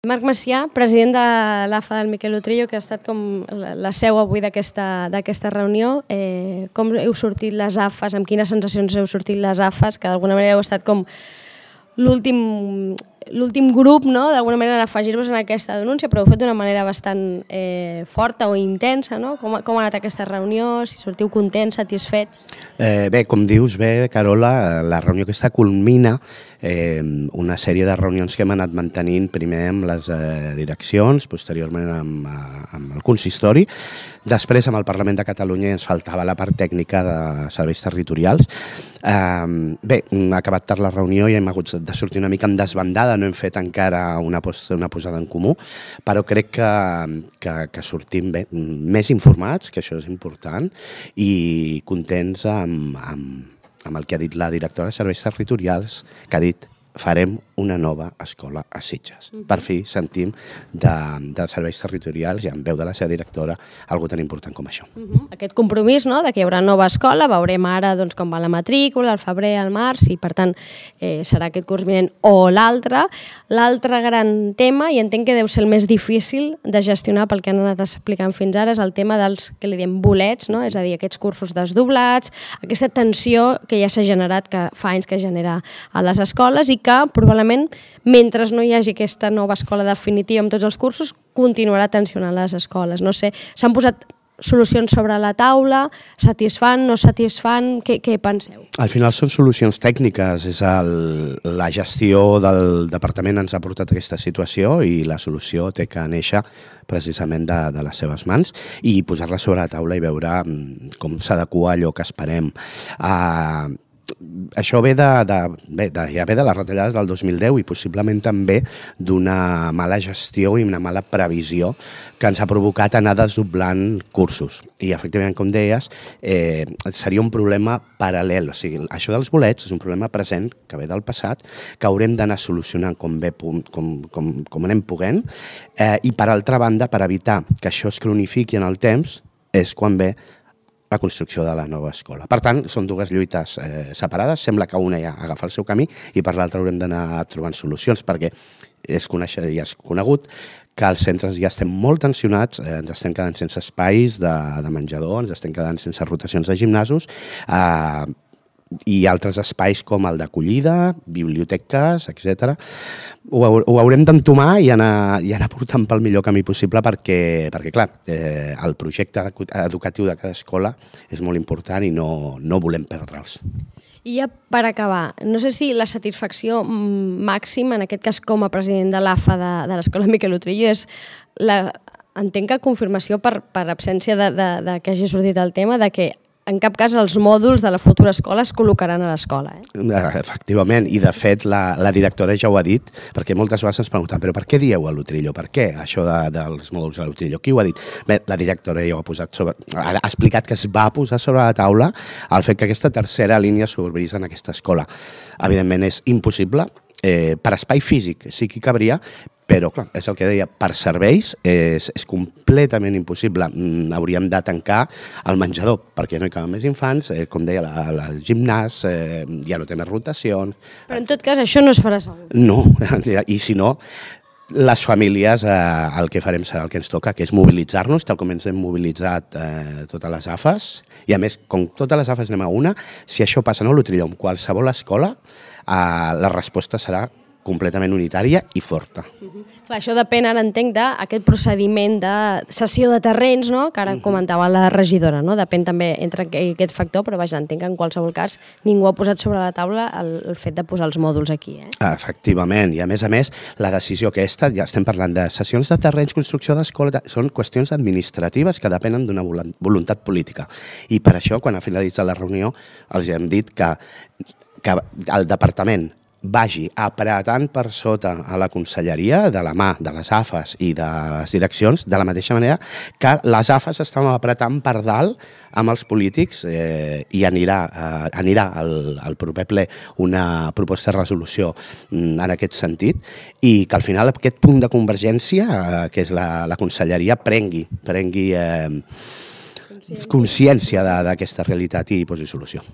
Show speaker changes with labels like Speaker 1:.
Speaker 1: Marc Macià, president de l'AFA del Miquel Utrillo, que ha estat com la seu avui d'aquesta reunió. Com heu sortit les AFAs, amb quines sensacions heu sortit les AFAs, que d'alguna manera heu estat com l'últim grup, no?, d'alguna manera, en afegir-vos en aquesta denúncia, però ho heu fet d'una manera bastant forta o intensa, no? Com ha anat aquesta reunió? Si sortiu contents, satisfets?
Speaker 2: Bé, com dius bé, Carola, la reunió aquesta culmina una sèrie de reunions que hem anat mantenint primer amb les direccions, posteriorment amb el consistori, després amb el Parlament de Catalunya ens faltava la part tècnica de serveis territorials. Bé, ha acabat tard la reunió i hem hagut de sortir una mica en desbandada, no hem fet encara una posada en comú, però crec que sortim bé, més informats, que això és important, i contents amb el que ha dit la directora de Serveis Territorials, que ha dit farem una nova escola a Sitges. Per fi sentim de serveis territorials i en veu de la seva directora algo tan important com això.
Speaker 1: Aquest compromís, no?, de que hi haurà nova escola, veurem ara com va la matrícula, al febrer, al març, i per tant serà aquest curs vinent o l'altre. L'altre gran tema, i entenc que deu ser el més difícil de gestionar pel que han anat explicant fins ara, és el tema dels, que li diem, bolets, no?, és a dir, aquests cursos desdoblats, aquesta tensió que ja s'ha generat, que fa anys que genera a les escoles i que probablement mentre no hi hagi aquesta nova escola definitiva amb tots els cursos, continuarà tensionant les escoles. No sé, s'han posat solucions sobre la taula, satisfan, no satisfan, què penseu?
Speaker 2: Al final són solucions tècniques, la gestió del departament ens ha portat a aquesta situació i la solució té que néixer precisament de les seves mans i posar-la sobre la taula i veure com s'adequa allò que esperem. Això ve de les retallades del 2010 i possiblement també d'una mala gestió i una mala previsió que ens ha provocat anar desdoblant cursos. I efectivament, com deies, seria un problema paral·lel. O sigui, això dels bolets és un problema present que ve del passat, que haurem d'anar solucionant com anem podent, i per altra banda, per evitar que això es cronifiqui en el temps, és quan ve la construcció de la nova escola. Per tant, són dues lluites separades. Sembla que una ja agafa el seu camí i per l'altra haurem d'anar trobant solucions, perquè ja és conegut que els centres ja estem molt tensionats, ens estem quedant sense espais de menjador, ens estem quedant sense rotacions de gimnasos, i altres espais com el d'acollida, biblioteques, etc. Ho haurem d'entomar i anar portant pel millor camí possible perquè clar, el projecte educatiu de cada escola és molt important i no volem perdre'ls.
Speaker 1: I ja per acabar, no sé si la satisfacció màxima, en aquest cas com a president de l'AFA de l'Escola Miquel Utrillo, és entenc que confirmació per absència de que hagi sortit el tema de que en cap cas els mòduls de la futura escola es col·locaran a l'escola.
Speaker 2: Efectivament, i de fet la directora ja ho ha dit, perquè moltes vegades ens pregunten però per què dieu a l'Utrillo? Per què això dels mòduls a l'Utrillo? Qui ho ha dit? Bé, la directora ja ha explicat que es va posar sobre la taula el fet que aquesta tercera línia s'obrís en aquesta escola. Evidentment és impossible, per espai físic sí que cabria, però, clar, és el que deia, per serveis és completament impossible. Hauríem de tancar el menjador, perquè no hi caben més infants, com deia, el gimnàs, ja no té més rotacions.
Speaker 1: Però, en tot cas, això no es farà segur.
Speaker 2: No, i si no, les famílies el que farem serà el que ens toca, que és mobilitzar-nos, tal com ens hem mobilitzat totes les AFAs, i a més, com totes les AFAs anem a una, si això passa a l'Utrillo en qualsevol escola, la resposta serà completament unitària i forta.
Speaker 1: Clar, això depèn, ara entenc, d'aquest procediment de cessió de terrenys, no?, que ara comentava la regidora, no? Depèn també entre aquest factor, però vaja, entenc que en qualsevol cas ningú ha posat sobre la taula el fet de posar els mòduls aquí.
Speaker 2: Efectivament, i a més, la decisió aquesta, ja estem parlant de cessions de terrenys, construcció d'escola, són qüestions administratives que depenen d'una voluntat política. I per això, quan ha finalitzat la reunió, els hem dit que el departament vagi apretant per sota a la conselleria de la mà de les AFAs i de les direccions, de la mateixa manera que les AFAs estan apretant per dalt amb els polítics i anirà al proper ple una proposta de resolució en aquest sentit i que al final aquest punt de convergència, que és la conselleria, prengui consciència d'aquesta realitat i posi solució.